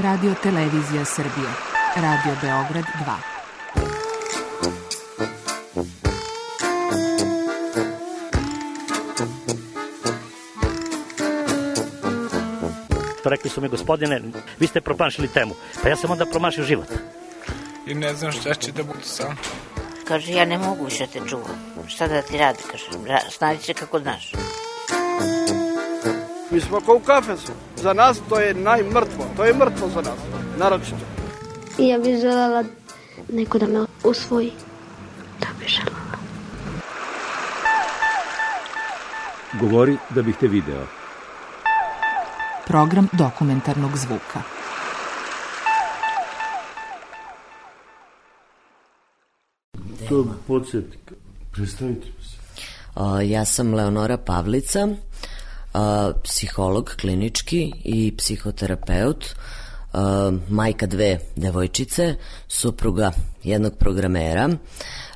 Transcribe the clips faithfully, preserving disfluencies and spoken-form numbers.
Radio Televizija Srbije, Radio Beograd dva. Rekli su mi, gospodine, vi ste promašili temu. Pa ja sam onda promašio život. I ne znam šta će da bude sam. Kaže, ja ne mogu više te čuvam. Šta da ti radi, kaže, snađi se kako znaš. Mi smo kao u kafesu. Za nas to je najmrtvo. To je mrtvo za nas, naročito. I ja bih želela neko da me usvoji. Da bih želela. Govori da bih te video. Program dokumentarnog zvuka. To podsjetnik. Predstavite se. O, ja sam Leonora Pavlica, o, psiholog klinički i psihoterapeut, o, majka dve devojčice, supruga jednog programera.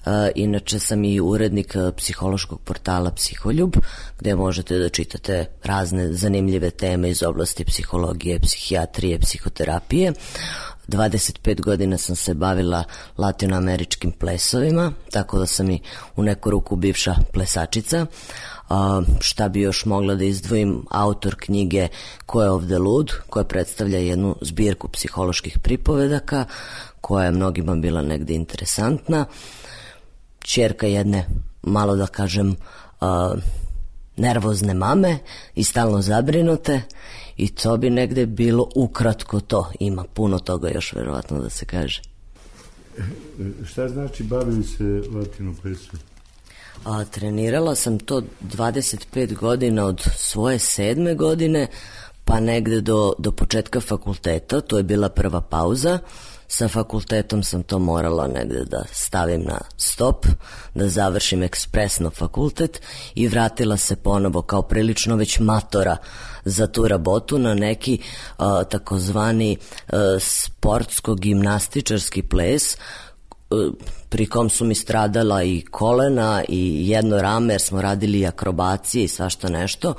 Uh, inače sam i urednik psihološkog portala Psiholjub, gde možete da čitate razne zanimljive teme iz oblasti psihologije, psihijatrije, psihoterapije. dvadeset pet godina sam se bavila latinoameričkim plesovima, tako da sam i u neku ruku bivša plesačica. Uh, šta bi još mogla da izdvojim, autor knjige Ko je ovde lud, koja predstavlja jednu zbirku psiholoških pripovedaka, koja je mnogima bila negde interesantna. Ćerka jedne, malo da kažem, uh, nervozne mame i stalno zabrinute, i to bi negde bilo ukratko to. Ima puno toga još verovatno da se kaže. Šta znači bavili se latino plesom? A, trenirala sam to dvadeset pet godina od svoje sedme godine pa negde do, do početka fakulteta. To je bila prva pauza. Sa fakultetom sam to morala negde da stavim na stop, da završim ekspresno fakultet i vratila se ponovo kao prilično već matora za tu rabotu na neki uh, takozvani uh, sportsko-gimnastičarski ples, uh, pri kom su mi stradala i kolena i jedno rame, jer smo radili akrobacije i svašta nešto,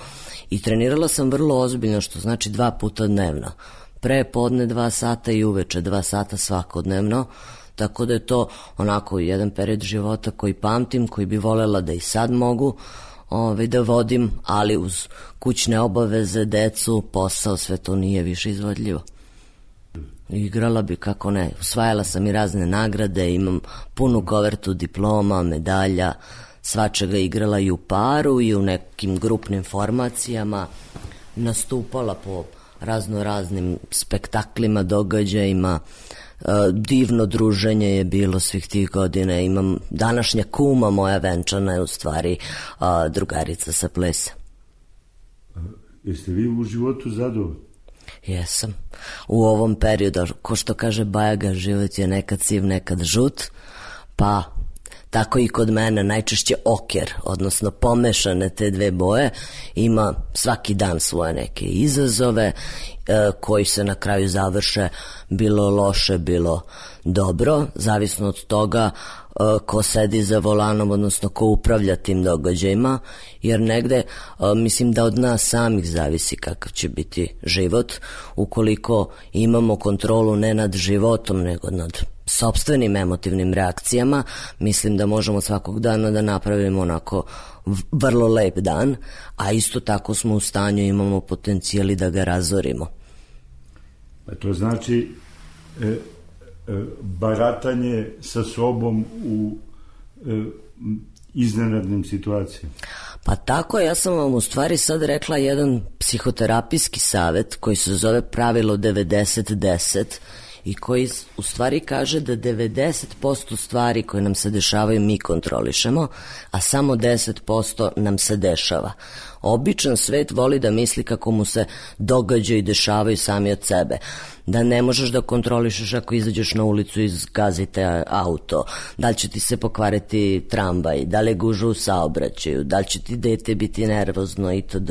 i trenirala sam vrlo ozbiljno, što znači dva puta dnevno. Pre podne dva sata i uveče dva sata svakodnevno, tako da je to onako jedan period života koji pamtim, koji bi volela da i sad mogu ovaj, da vodim, ali uz kućne obaveze, decu, posao, sve to nije više izvodljivo. Igrala bi, kako ne, usvajala sam i razne nagrade, imam punu kovertu diploma, medalja, svačega, igrala i u paru i u nekim grupnim formacijama, nastupala po razno raznim spektaklima, događajima, divno druženje je bilo svih tih godina. Imam današnja kuma moja venčana je u stvari drugarica sa plesa. Jeste vi u životu zadovoljni? Jesam. U ovom periodu, ko što kaže Bajaga, život je nekad siv, nekad žut, pa tako i kod mene najčešće oker, odnosno pomešane te dve boje. Ima svaki dan svoje neke izazove e, koji se na kraju završe bilo loše, bilo dobro, zavisno od toga e, ko sedi za volanom, odnosno ko upravlja tim događajima, jer negde e, mislim da od nas samih zavisi kakav će biti život. Ukoliko imamo kontrolu ne nad životom, nego nad sopstvenim emotivnim reakcijama, mislim da možemo svakog dana da napravimo onako vrlo lep dan, a isto tako smo u stanju, imamo potencijali da ga razorimo. A to znači e, e, baratanje sa sobom u e, iznenadnim situacijama. Pa tako, ja sam vam u stvari sad rekla jedan psihoterapijski savet koji se zove pravilo devedeset deset i koji u stvari kaže da devedeset posto stvari koje nam se dešavaju mi kontrolišemo, a samo deset posto nam se dešava. Običan svet voli da misli kako mu se događaju i dešavaju sami od sebe. Da ne možeš da kontrolišeš ako izađeš na ulicu i zgazite auto, da li će ti se pokvariti tramvaj, da li je gužva u saobraćaju, da li će ti dete biti nervozno itd.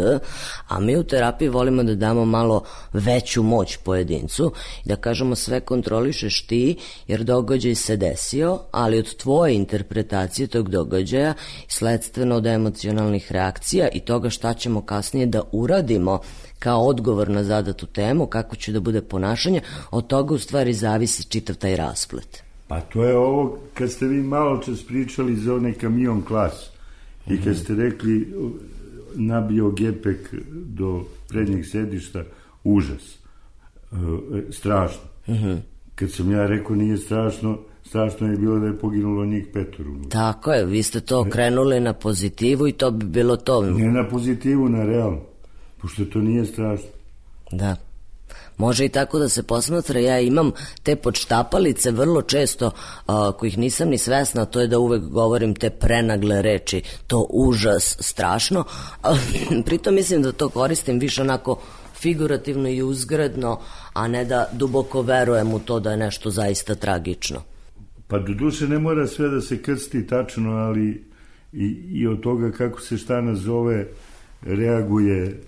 A mi u terapiji volimo da damo malo veću moć pojedincu i da kažemo sve kontrolišeš ti, jer događaj se desio, ali od tvoje interpretacije tog događaja, sledstveno od emocionalnih reakcija i toga šta šta ćemo kasnije da uradimo kao odgovor na zadatu temu, kako će da bude ponašanje, od toga u stvari zavisi čitav taj rasplet. Pa to je ovo kad ste vi malo čas pričali za onaj kamion klas i kad ste rekli nabio gepek do prednjeg sedišta, užas, e, strašno. Uh-huh. Kad sam ja rekao nije strašno, strašno je bilo da je poginulo njih petoro. Tako je, vi ste to okrenuli na pozitivu i to bi bilo to. Ne na pozitivu, na realno, pošto to nije strašno. Da. Može i tako da se posmatra, ja imam te podštapalice vrlo često a, kojih nisam ni svesna, to je da uvek govorim te prenagle reči, to užas, strašno, a, pritom mislim da to koristim više onako figurativno i uzgredno, a ne da duboko verujem u to da je nešto zaista tragično. Pa do duše ne mora sve da se krsti tačno, ali i, i od toga kako se šta nazove reaguje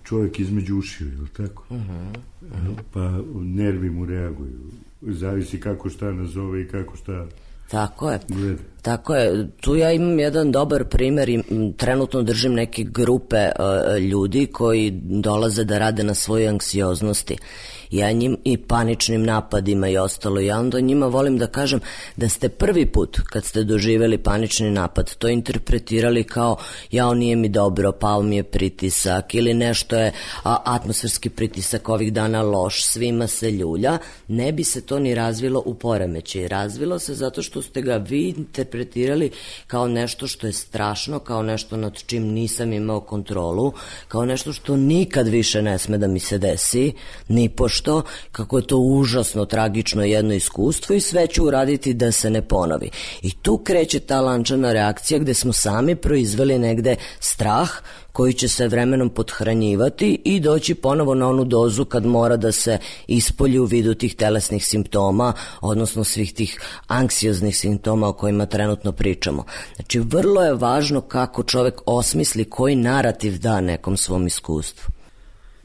čovjek između ušiju, je li tako? Uh-huh, uh-huh. Pa nervi mu reaguju. Zavisi kako šta nazove i kako šta Tako je. gleda. Tako je. Tu ja imam jedan dobar primer i trenutno držim neke grupe uh, ljudi koji dolaze da rade na svojoj anksioznosti. Ja njim i paničnim napadima i ostalo. Ja onda njima volim da kažem da ste prvi put kad ste doživjeli panični napad to interpretirali kao jao nije mi dobro, pao mi je pritisak ili nešto je a, atmosferski pritisak ovih dana loš, svima se ljulja, ne bi se to ni razvilo u poremećaj. Razvilo se zato što ste ga vi interpretirali kao nešto što je strašno, kao nešto nad čim nisam imao kontrolu, kao nešto što nikad više ne sme da mi se desi, ni pošto što, kako je to užasno, tragično jedno iskustvo i sve ću uraditi da se ne ponovi. I tu kreće ta lančana reakcija gde smo sami proizveli negde strah koji će se vremenom pothranjivati i doći ponovo na onu dozu kad mora da se ispolji u vidu tih telesnih simptoma, odnosno svih tih anksioznih simptoma o kojima trenutno pričamo. Znači, vrlo je važno kako čovek osmisli koji narativ da nekom svom iskustvu.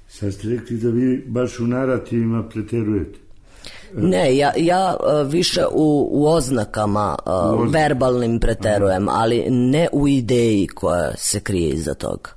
Sad ste rekli da vi baš u narativima preterujete. Ne, ja, ja više u, u oznakama u oznak. verbalnim preterujem, aha, ali ne u ideji koja se krije iza toga.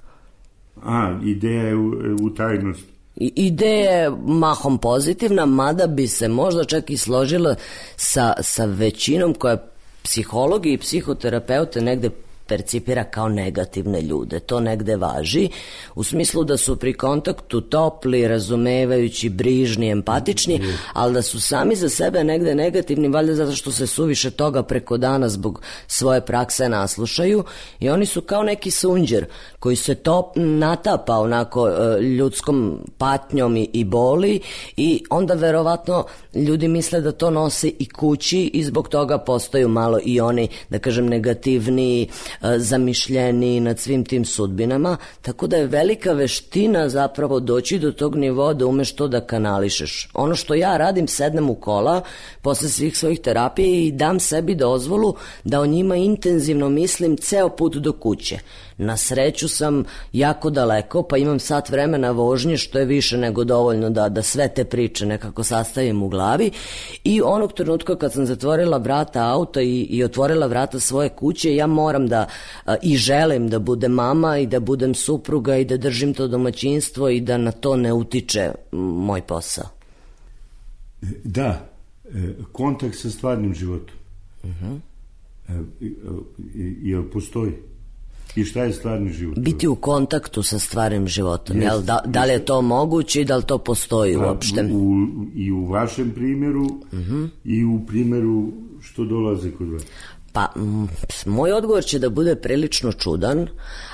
A, ideja je u, u tajnosti. I, ideja je mahom pozitivna, mada bi se možda čak i složila sa, sa većinom koja psihologi i psihoterapeute negde percipira kao negativne ljude. To negde važi, u smislu da su pri kontaktu topli, razumevajući, brižni, empatični, ali da su sami za sebe negde negativni, valjda zato što se suviše toga preko dana zbog svoje prakse naslušaju i oni su kao neki sunđer koji se top natapa onako ljudskom patnjom i, i boli i onda verovatno ljudi misle da to nose i kući i zbog toga postaju malo i oni, da kažem, negativniji, zamišljeni nad svim tim sudbinama, tako da je velika veština zapravo doći do tog nivoa da umeš to da kanališeš. Ono što ja radim, sednem u kola posle svih svojih terapija i dam sebi dozvolu da o njima intenzivno mislim ceo put do kuće. Na sreću sam jako daleko, pa imam sat vremena vožnje, što je više nego dovoljno da, da sve te priče nekako sastavim u glavi i onog trenutka kad sam zatvorila vrata auta i, i otvorila vrata svoje kuće, ja moram da a, i želim da budem mama i da budem supruga i da držim to domaćinstvo i da na to ne utiče moj posao. Da, kontakt sa stvarnim životom. Uh-huh. Jel postoji? I šta je stvarni život? Biti u kontaktu sa stvarnim životom. Jel, da, da li je to moguće i da li to postoji a, uopšte? U, I u vašem primjeru uh-huh. i u primjeru što dolaze kod vas. Pa, m, moj odgovor će da bude prilično čudan,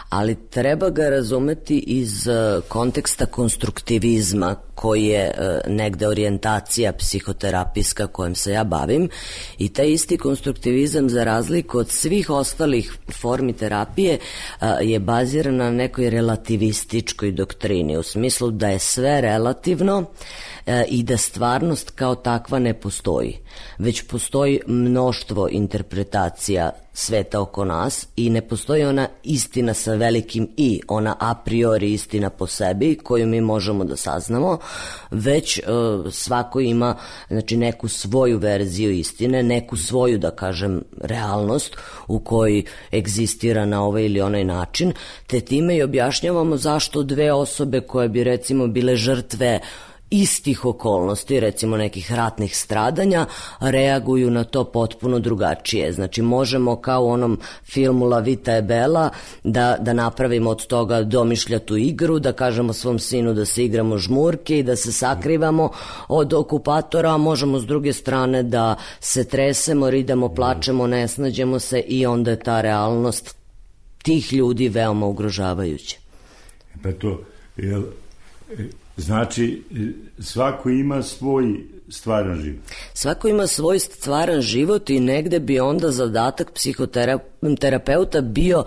ali treba ga razumeti iz uh, konteksta konstruktivizma koji je uh, negde orijentacija psihoterapijska kojom se ja bavim i taj isti konstruktivizam za razliku od svih ostalih formi terapije uh, je baziran na nekoj relativističkoj doktrini u smislu da je sve relativno e, i da stvarnost kao takva ne postoji, već postoji mnoštvo interpretacija sveta oko nas i ne postoji ona istina sa velikim i, ona a priori istina po sebi koju mi možemo da saznamo, već e, svako ima, znači, neku svoju verziju istine, neku svoju, da kažem, realnost u kojoj egzistira na ovaj ili onaj način, te time i objašnjavamo zašto dve osobe koje bi recimo bile žrtve istih okolnosti, recimo nekih ratnih stradanja, reaguju na to potpuno drugačije. Znači, možemo kao u onom filmu La Vita e Bella da, da napravimo od toga domišljatu igru, da kažemo svom sinu da se igramo žmurke i da se sakrivamo od okupatora, a možemo s druge strane da se tresemo, ridamo, plačemo, ne snađemo se i onda je ta realnost tih ljudi veoma ugrožavajuća. Pa to, jel, znači, svako ima svoj stvaran život. Svako ima svoj stvaran život i negde bi onda zadatak psihoterapeuta bio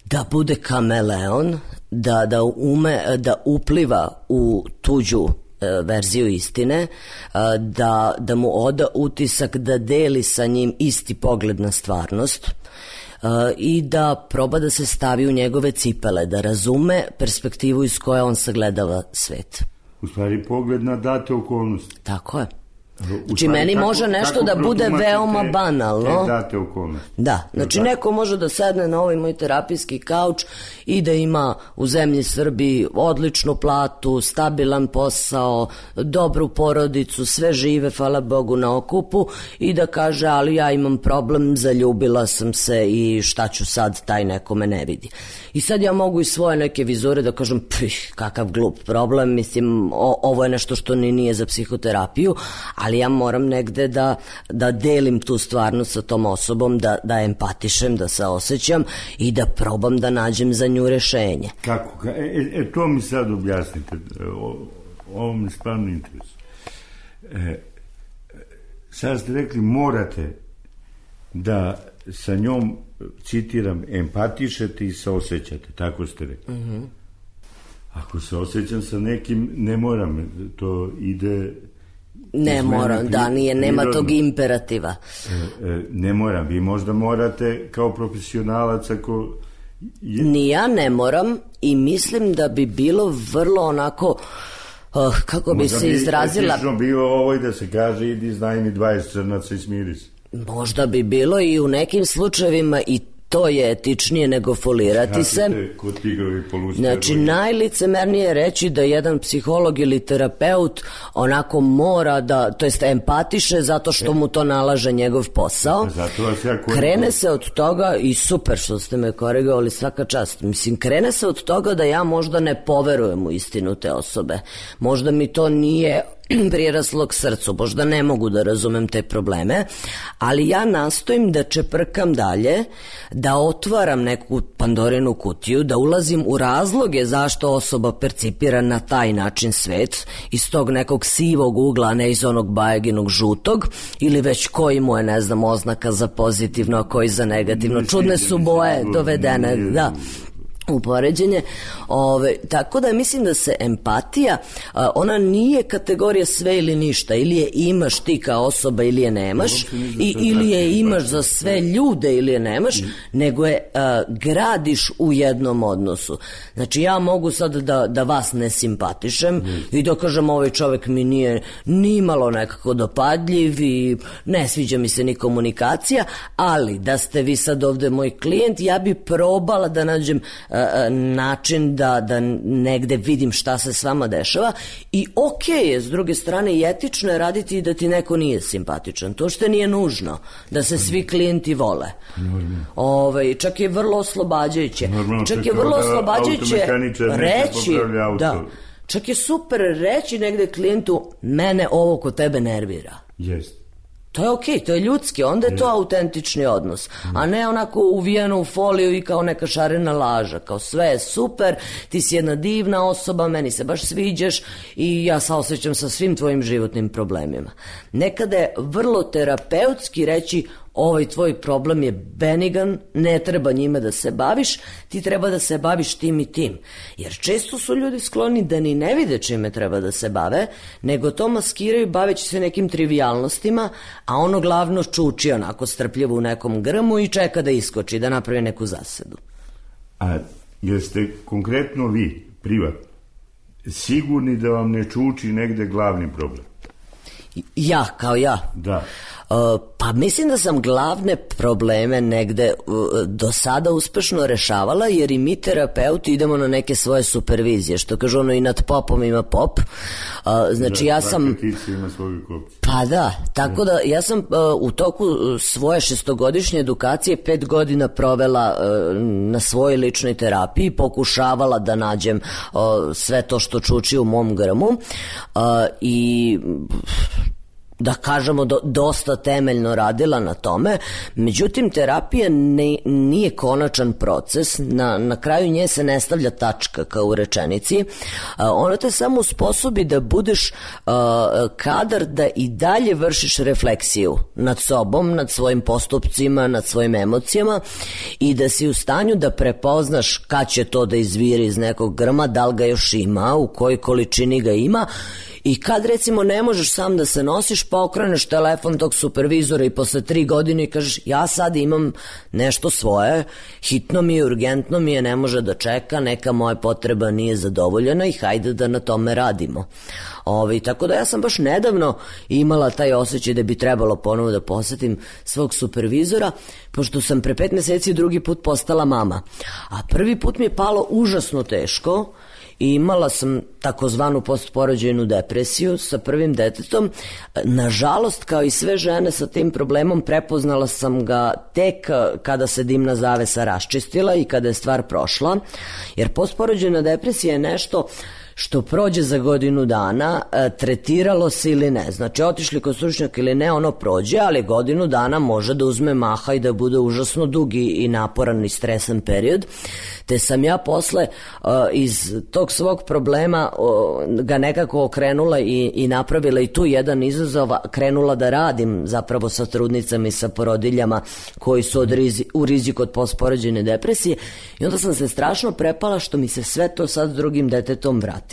da bude kameleon, da, da ume da upliva u tuđu e, verziju istine, da, da mu oda utisak da deli sa njim isti pogled na stvarnost, Uh, i da proba da se stavi u njegove cipele, da razume perspektivu iz koje on sagledava svet. U stvari pogled na date okolnosti. Tako je. Znači, meni kako, može nešto da bude veoma te, banalno. Te date okolnosti. Da, znači neko može da sedne na ovaj moj terapijski kauč i da ima u zemlji Srbiji odličnu platu, stabilan posao, dobru porodicu, sve žive, hvala Bogu, na okupu i da kaže, ali ja imam problem, zaljubila sam se i šta ću sad, taj neko me ne vidi. I sad ja mogu iz svoje neke vizure da kažem, pih, kakav glup problem, mislim, o, ovo je nešto što ni nije za psihoterapiju, ali ja moram negde da, da delim tu stvarnost sa tom osobom, da, da empatišem, da se osjećam i da probam da nađem za nju rešenje. Kako? E, e to mi sad objasnite. O, ovo mi stvarno interesuje. E, sad ste rekli, morate da sa njom, citiram, empatišete i se osjećate, tako ste rekli. Mm-hmm. Ako se osjećam sa nekim, ne moram, to ide... Ne moram, da, nije, nema tog imperativa. E, e, ne moram, vi možda morate kao profesionalac ako... Je... Ni ja ne moram i mislim da bi bilo vrlo onako... Uh, kako bi možda se izrazila... Možda bi bilo ovo i da se kaže, idi znaj mi dvadeset crnaca i smiri se. Možda bi bilo i u nekim slučajevima i to je etičnije nego folirati se. Znači, najlicemernije je reći da jedan psiholog ili terapeut onako mora da, to jest empatiše zato što mu to nalaže njegov posao. Krene se od toga, i super što ste me korigovali, svaka čast, mislim, krene se od toga da ja možda ne poverujem u istinu te osobe. Možda mi to nije priraslo k srcu, možda ne mogu da razumem te probleme, ali ja nastojim da čeprkam dalje, da otvaram neku Pandorinu kutiju, da ulazim u razloge zašto osoba percipira na taj način svet, iz tog nekog sivog ugla, a ne iz onog bajeginog žutog, ili već koji mu je, ne znam, oznaka za pozitivno, a koji za negativno. Čudne su boje dovedene, da, u poređenje. Ove, tako da mislim da se empatija, a, ona nije kategorija sve ili ništa, ili je imaš ti kao osoba ili je nemaš, i, ili je imaš za sve ljude ili je nemaš, nego je a, gradiš u jednom odnosu. Znači, ja mogu sad da, da vas ne simpatišem i da kažem, ovaj čovek mi nije ni malo nekako dopadljiv i ne sviđa mi se ni komunikacija, ali da ste vi sad ovde moj klijent, ja bi probala da nađem a, način da, da negde vidim šta se s vama dešava i okej je, s druge strane, i etično je raditi i da ti neko nije simpatičan. To što nije nužno da se svi klijenti vole. Ove, čak je vrlo oslobađajuće. Normalno, čak je vrlo oslobađajuće reći, da, čak je super reći negde klijentu, mene ovo kod tebe nervira. Jest. To je okej, to je ljudski, onda je to autentični odnos, a ne onako uvijeno u foliju i kao neka šarena laža, kao sve je super, ti si jedna divna osoba, meni se baš sviđaš i ja saosjećam sa svim tvojim životnim problemima. Nekada je vrlo terapeutski reći, ovaj tvoj problem je benigan, ne treba njime da se baviš, ti treba da se baviš tim i tim. Jer često su ljudi skloni da ni ne vide čime treba da se bave, nego to maskiraju baveći se nekim trivijalnostima, a ono glavno čuči onako strpljivo u nekom grmu i čeka da iskoči, da napravi neku zasedu. A jeste konkretno vi, privatno, sigurni da vam ne čuči negde glavni problem? Ja, kao ja? Da. Uh, pa mislim da sam glavne probleme negde uh, do sada uspešno rešavala, jer i mi terapeuti idemo na neke svoje supervizije, što kažu ono i nad popom ima pop. Uh, znači da, ja sam... Ima svoju kopiju. Pa da, tako da ja sam uh, u toku svoje šestogodišnje edukacije pet godina provela uh, na svojoj ličnoj terapiji, pokušavala da nađem uh, sve to što čuči u mom grmu uh, i... da kažemo do, dosta temeljno radila na tome, međutim terapija ne, nije konačan proces, na, na kraju nje se ne stavlja tačka kao u rečenici, a, ona te samo usposobi da budeš a, kadar da i dalje vršiš refleksiju nad sobom, nad svojim postupcima, nad svojim emocijama i da si u stanju da prepoznaš kad će to da izviri iz nekog grma, da li ga još ima, u kojoj količini ga ima. I kad recimo ne možeš sam da se nosiš, pa okreneš telefon tog supervizora i posle tri godine i kažeš ja sad imam nešto svoje, hitno mi je, urgentno mi je, ne može da čeka, neka moja potreba nije zadovoljena i hajde da na tome radimo. Ovi, tako da ja sam baš nedavno imala taj osjećaj da bi trebalo ponovo da posetim svog supervizora, pošto sam pre pet meseci drugi put postala mama. A prvi put mi je palo užasno teško, i imala sam takozvanu postporođajnu depresiju sa prvim detetom. Nažalost, kao i sve žene sa tim problemom, prepoznala sam ga tek kada se dimna zavesa raščistila i kada je stvar prošla, jer postporođajna depresija je nešto što prođe za godinu dana, e, tretiralo se ili ne. Znači, otišli kod stručnjaka ili ne, ono prođe, ali godinu dana može da uzme maha i da bude užasno dugi i naporan i stresan period. Te sam ja posle e, iz tog svog problema o, ga nekako okrenula i, i napravila i tu jedan izazov, krenula da radim zapravo sa trudnicama i sa porodiljama koji su od rizi, u riziku od postporođajne depresije, i onda sam se strašno prepala što mi se sve to sad s drugim detetom vrati.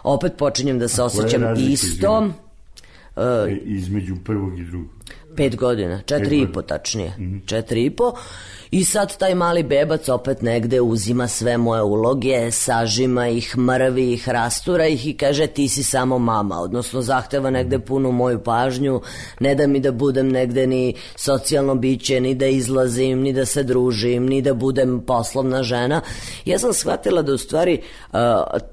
Opet počinjem da se osjećam isto. Uh, između prvog i drugog? Pet godina, četiri i po tačnije. Mm-hmm. Četiri i po. I sad taj mali bebac opet negde uzima sve moje uloge, sažima ih, mrvi ih, rastura ih i kaže ti si samo mama, odnosno zahteva negde punu moju pažnju, ne da mi da budem negde ni socijalno biće, ni da izlazim, ni da se družim, ni da budem poslovna žena. Ja sam shvatila da u stvari uh,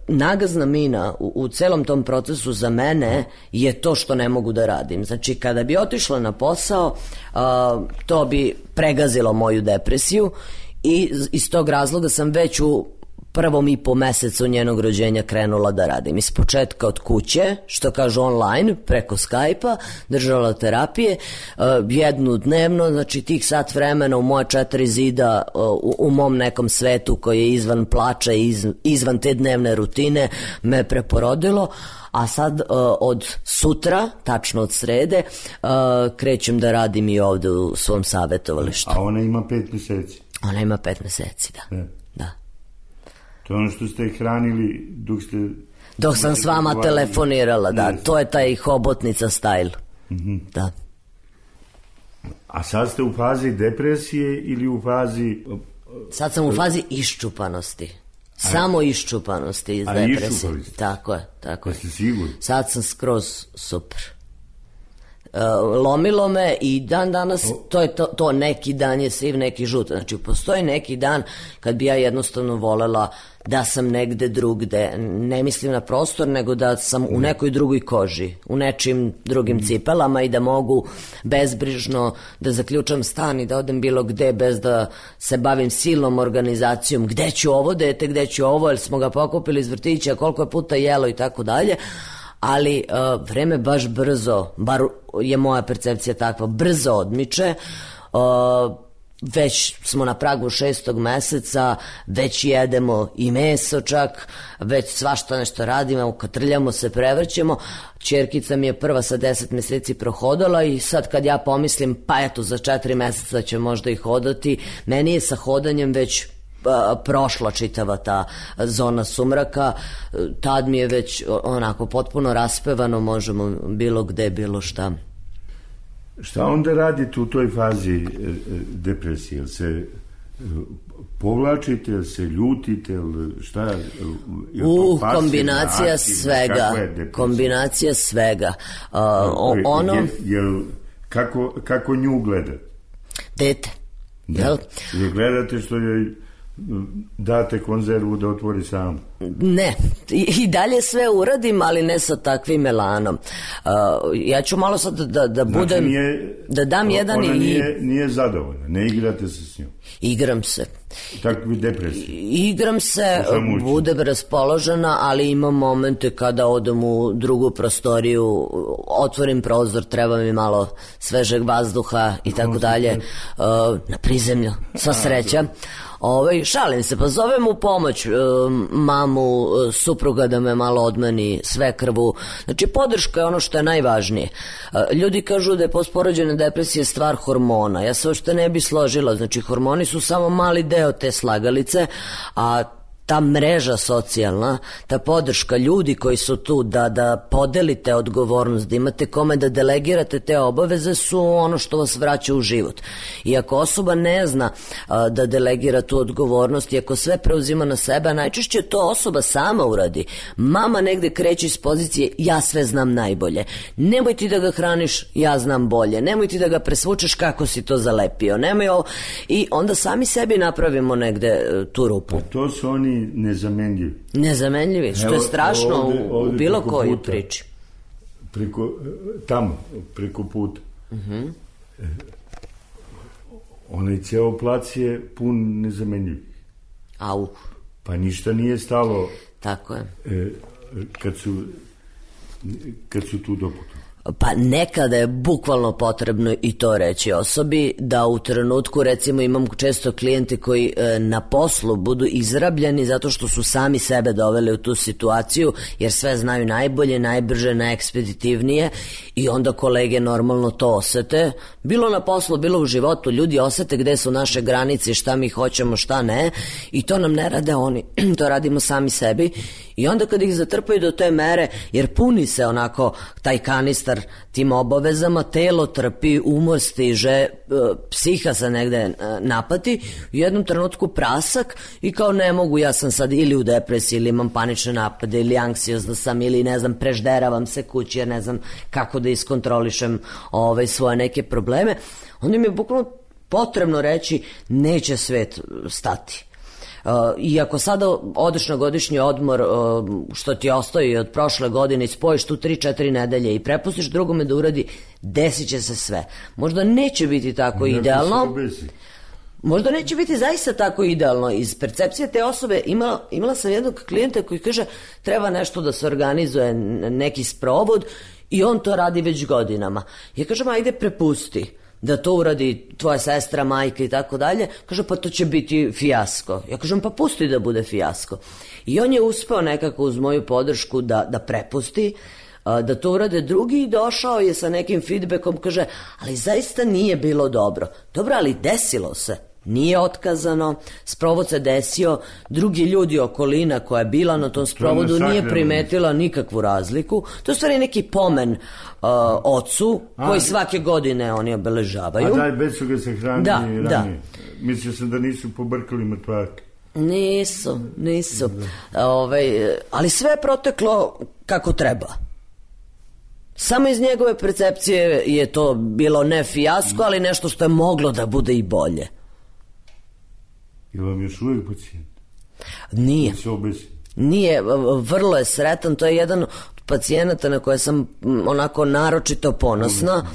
nagazna mina u, u celom tom procesu za mene je to što ne mogu da radim. Znači kada bi otišla na posao, uh, to bi pregazilo moju depresiju i iz tog razloga sam već u prvom i po mesecu njenog rođenja krenula da radim. Iz početka od kuće, što kažu online, preko Skype-a, držala terapije, uh, jednu dnevno, znači tih sat vremena u moje četiri zida, uh, u, u mom nekom svetu koji je izvan plača i iz, izvan te dnevne rutine me preporodilo. A sad uh, od sutra, tačno od srede, uh, krećem da radim i ovde u svom savjetovalištu. A ona ima pet meseci? Ona ima pet meseci, da. Ne. Da. To je ono što ste hranili dok ste... Dok sam s vama telefonirala, da. Ne. To je taj hobotnica style. Mm-hmm. Da. A sad ste u fazi depresije ili u fazi... Sad sam u fazi iščupanosti. Samo iščupanosti iz depresije. Tako je, tako je. Jeste sigurni? Sad sam skroz super. Uh, lomilo me i dan danas, to je to, to neki dan je siv, neki žut. Znači, postoji neki dan kad bi ja jednostavno volela da sam negde drugde, ne mislim na prostor, nego da sam u nekoj drugoj koži, u nečim drugim cipelama i da mogu bezbrižno da zaključam stan i da odem bilo gde bez da se bavim silnom organizacijom, gde ću ovo dete, gde ću ovo, jer smo ga pokupili iz vrtića, koliko je puta jelo i tako dalje. Ali uh, vreme baš brzo, bar je moja percepcija takva, brzo odmiče. Uh, već smo na pragu šestog meseca, već jedemo i meso čak, već svašta nešto radimo, katrljamo se, prevrćemo. Ćerkica mi je prva sa deset meseci prohodala i sad kad ja pomislim, pa eto za četiri meseca će možda i hodati, meni je sa hodanjem već a, prošla čitava ta zona sumraka, tad mi je već onako potpuno raspevano, možemo bilo gde, bilo šta. Šta onda radite u toj fazi e, depresije? Jel se e, povlačite, jel se ljutite, jel šta? Jel U, kombinacija aktiv, svega. Kombinacija svega. Uh, o, ono... Jel, jel, kako, kako nju gledate? Dete. Da. Jel? Jel gledate što je date konzervu da otvori sam? Ne, i, i dalje sve uradim, ali ne sa takvim elanom. Uh, ja ću malo sad da, da budem, znači nije, da dam jedan i... Ona nije, nije zadovoljna, ne igrate se s njom? Igram se. Tako bi depresija? Igram se, budem raspoložena, ali imam momente kada odem u drugu prostoriju, otvorim prozor, treba mi malo svežeg vazduha i tako dalje, uh, na prizemlju, sva sreća. Ovaj, šalim se, pa zovem u pomoć uh, mamu, uh, supruga da me malo odmeni svekrvu. Znači, podrška je ono što je najvažnije. Uh, ljudi kažu da je postporođajna depresija stvar hormona. Ja se uopšte ne bi složila. Znači, hormoni su samo mali deo te slagalice, a ta mreža socijalna, ta podrška ljudi koji su tu da, da podelite odgovornost, da imate kome da delegirate te obaveze su ono što vas vraća u život. I ako osoba ne zna a, da delegira tu odgovornost i ako sve preuzima na sebe, najčešće to osoba sama uradi. Mama negde kreće iz pozicije ja sve znam najbolje. Nemoj ti da ga hraniš, ja znam bolje. Nemoj ti da ga presvučeš kako si to zalepio. Nemoj ovo. I onda sami sebi napravimo negde tu rupu. A to su oni nezamenljivi. Nezamenljivi, što je strašno ovde, ovde u bilo kojoj priči. Preko, tamo, preko puta. Uh-huh. Onaj ceo plac je pun nezamenljivih. Au. Pa ništa nije stalo. Tako je. E, kad su, kad su tu doputovali. Pa nekada je bukvalno potrebno i to reći osobi, da u trenutku, recimo imam često klijente koji e, na poslu budu izrabljeni zato što su sami sebe doveli u tu situaciju, jer sve znaju najbolje, najbrže, najekspeditivnije i onda kolege normalno to osete, bilo na poslu, bilo u životu, ljudi osete gde su naše granice, šta mi hoćemo, šta ne, i to nam ne rade oni, to radimo sami sebi. I onda kad ih zatrpaju do te mere, jer puni se onako taj kanistar tim obavezama, telo trpi, umor stiže, psiha se negde napati, u jednom trenutku prasak i kao ne mogu, ja sam sad ili u depresiji, ili imam panične napade, ili anksiozna sam, ili ne znam, prežderavam se kući, jer ne znam kako da iskontrolišem ove svoje neke probleme. Onda mi je bukvalno potrebno reći neće svet stati. Uh, i ako sada odeš na godišnji odmor, uh, što ti ostaje od prošle godine i spojiš tu tri četiri nedelje i prepustiš drugome da uradi, desit će se sve. Možda neće biti tako idealno, možda neće biti zaista tako idealno. Iz percepcije te osobe imala, imala sam jednog klijenta koji kaže treba nešto da se organizuje, neki sprovod, i on to radi već godinama. Ja kažem ajde prepusti da to uradi tvoja sestra, majka i tako dalje. Kaže, pa to će biti fijasko. Ja kažem, pa pusti da bude fijasko. I on je uspeo nekako uz moju podršku da, da prepusti, da to urade drugi, i došao je sa nekim feedbackom, kaže, ali zaista nije bilo dobro. Dobro, ali desilo se. Nije otkazano, sprovod se desio, drugi ljudi, okolina koja je bila na tom sprovodu nije primetila nikakvu razliku. To je stvari neki pomen uh, ocu koji svake godine oni obeležavaju. A daj, već su ga se hranili da, ranije. Da. Mislio sam da nisu pobrkali mrtvake. Nisu, nisu. Ove, ali sve je proteklo kako treba. Samo iz njegove percepcije je to bilo ne fijasko, ali nešto što je moglo da bude i bolje. Je vam još uvijek pacijent? Nije. Nije, vrlo je sretan, to je jedan od pacijenata na koje sam onako naročito ponosna.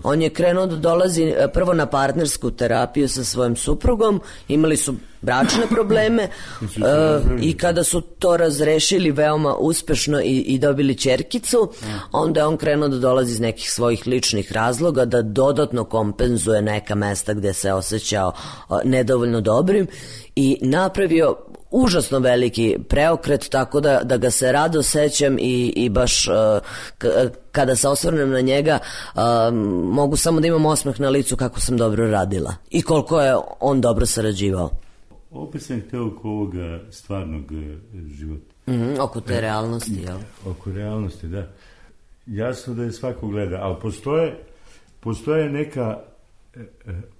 On je krenuo da dolazi prvo na partnersku terapiju sa svojim suprugom, imali su bračne probleme uh, i kada su to razrešili veoma uspešno i, i dobili ćerkicu, onda je on krenuo da dolazi iz nekih svojih ličnih razloga da dodatno kompenzuje neka mesta gde se osjećao uh, nedovoljno dobrim i napravio užasno veliki preokret, tako da, da ga se rado sećam i, i baš uh, k, kada se osvrnem na njega uh, mogu samo da imam osmeh na licu kako sam dobro radila i koliko je on dobro sarađivao. Opet sam hteo oko ovoga stvarnog života. Mm-hmm, oko te realnosti, jel? Oko realnosti, da. Jasno da je svako gleda, ali postoje, postoje neka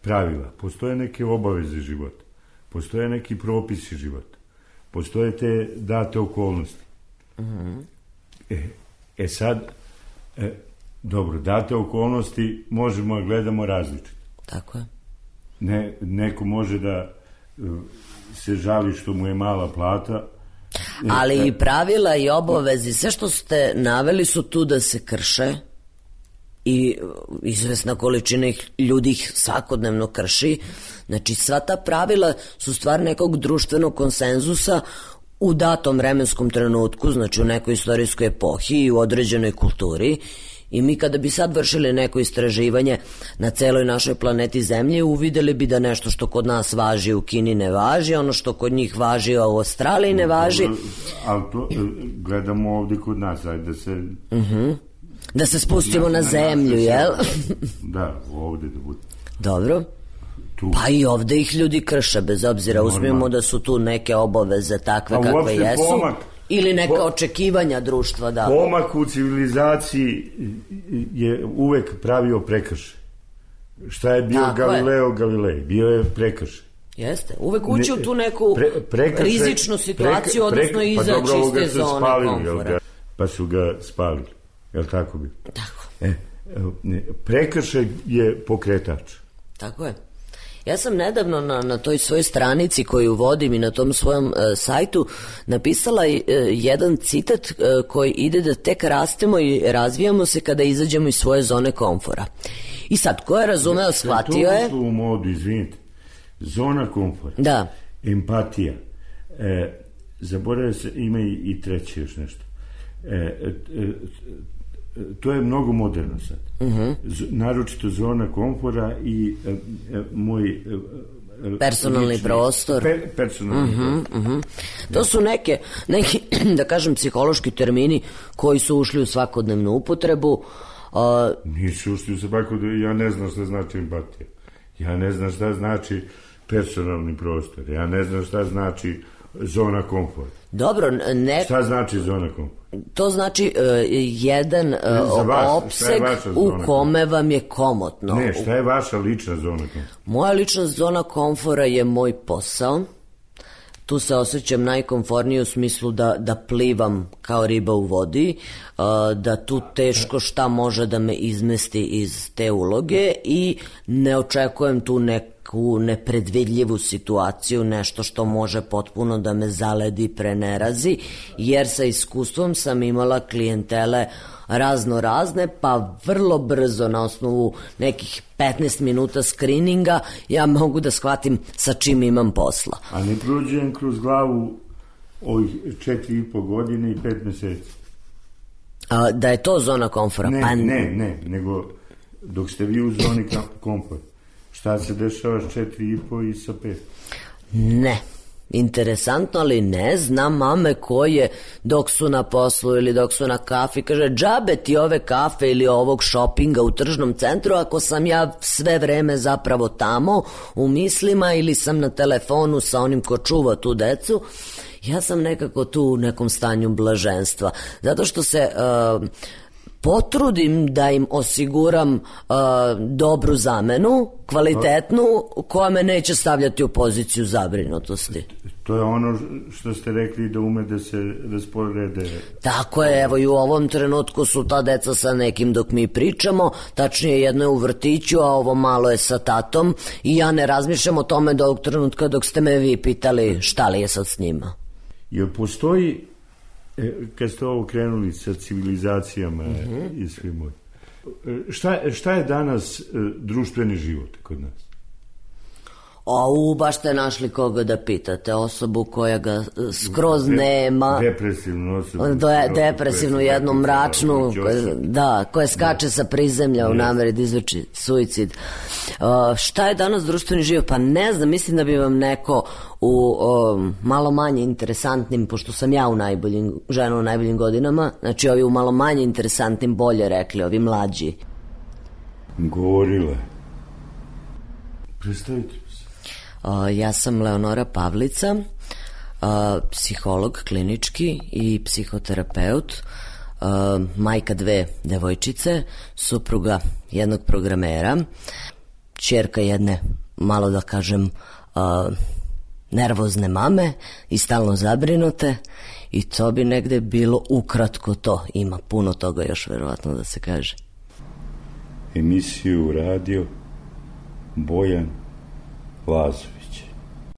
pravila, postoje neke obaveze života, postoje neki propisi života, postoje te date okolnosti. Mm-hmm. E, e sad, e, dobro, date okolnosti možemo da gledamo različito. Tako je. Ne, neko može da se žali što mu je mala plata. Ali i pravila i obavezi, sve što ste naveli su tu da se krše i izvesna količina ljudi ih svakodnevno krši. Znači sva ta pravila su stvar nekog društvenog konsenzusa u datom vremenskom trenutku, znači u nekoj istorijskoj epohi i u određenoj kulturi. I mi kada bi sad vršili neko istraživanje na celoj našoj planeti Zemlje, uvideli bi da nešto što kod nas važi u Kini ne važi, ono što kod njih važi u Australiji ne važi. Ali to gledamo ovdje kod nas, ajde da se... Uh-huh. Da se spustimo na, na zemlju, jel? Da, ovdje da bude. Dobro. Tu. Pa i ovdje ih ljudi krše, bez obzira, uzmimo da su tu neke obaveze takve pa kakve jesu. Pomak. Ili neka po, očekivanja društva, da. Pomak u civilizaciji je uvek pravio prekršaj. Šta je bio tako Galileo je. Galilej? Bio je prekršaj. Jeste, uvek ući ne, u tu neku pre, prekršaj, rizičnu situaciju, prek, odnosno izaći pa iz te zone spalili, komfora. Pa su ga spalili, jel tako bi? Tako. E, prekršaj je pokretač. Tako je. Ja sam nedavno na, na toj svojoj stranici koju vodim i na tom svojom uh, sajtu napisala uh, jedan citat uh, koji ide da tek rastemo i razvijamo se kada izađemo iz svoje zone komfora. I sad, ko je razumeo, shvatio je... To u modu, izvinite. Zona komfora. Da. Empatija. E, zaboravio se, ima i, i treće još nešto. E, e, e, to je mnogo moderno sad. Uh-huh. Z, naročito zona komfora i e, e, moj e, personalni lični, prostor. Per, personalni uh-huh, prostor. Uh-huh. To su neke, neki, da kažem, psihološki termini koji su ušli u svakodnevnu upotrebu. Uh, Nisu ušli u svakodnevnu, ja ne znam šta znači empatija. Ja ne znam šta znači personalni prostor. Ja ne znam šta znači zona komfora. Dobro, ne... Šta znači zona komfora? To znači uh, jedan uh, vas, opseg u kome vam je komotno. Ne, šta je vaša lična zona komfora? Moja lična zona komfora je moj posao. Tu se osjećam najkomfornije u smislu da, da plivam kao riba u vodi, uh, da tu teško šta može da me izmesti iz te uloge i ne očekujem tu neku nepredvidljivu situaciju, nešto što može potpuno da me zaledi, prenerazi, jer sa iskustvom sam imala klijentele razno razne, pa vrlo brzo na osnovu nekih petnaest minuta skrininga ja mogu da shvatim sa čim imam posla. A ne prođem kroz glavu ovih četiri i po godine i pet meseci? A, da je to zona komfora? Ne, pa... ne, ne, nego dok ste vi u zoni komfora, šta se dešava s četiri i po i sa pet? Ne. Interesantno, ali ne znam mame koje dok su na poslu ili dok su na kafi kaže džabe ti ove kafe ili ovog šopinga u tržnom centru ako sam ja sve vreme zapravo tamo u mislima ili sam na telefonu sa onim ko čuva tu decu. Ja sam nekako tu u nekom stanju blaženstva zato što se uh, potrudim da im osiguram uh, dobru zamenu, kvalitetnu, koja me neće stavljati u poziciju zabrinutosti. To je ono što ste rekli da ume da se rasporede. Tako je, evo i u ovom trenutku su ta deca sa nekim dok mi pričamo, tačnije jedno je u vrtiću, a ovo malo je sa tatom i ja ne razmišljam o tome do ovog trenutka dok ste me vi pitali šta li je sad s njima. Jer postoji E, kad ste ovo krenuli sa civilizacijama mm-hmm. i svim moj. Šta, šta je danas e, društveni život kod nas? A u, baš ste našli koga da pitate, osobu koja ga skroz nema. Depresivnu osobu. De, depresivnu, jednu mračnu, da, koja skače sa prizemlja u nameri da izvrši suicid. Uh, šta je danas društveni život? Pa ne znam, mislim da bi vam neko u um, malo manje interesantnim, pošto sam ja u najboljim, žena u najboljim godinama, znači ovi u malo manje interesantnim bolje rekli, ovi mlađi. Govorila. Predstavite. Uh, ja sam Leonora Pavlica, uh, psiholog klinički i psihoterapeut, uh, majka dve devojčice, supruga jednog programera, ćerka jedne, malo da kažem, uh, nervozne mame i stalno zabrinute, i to bi negde bilo ukratko to. Ima puno toga još verovatno da se kaže. Emisiju radio Bojan Lazović.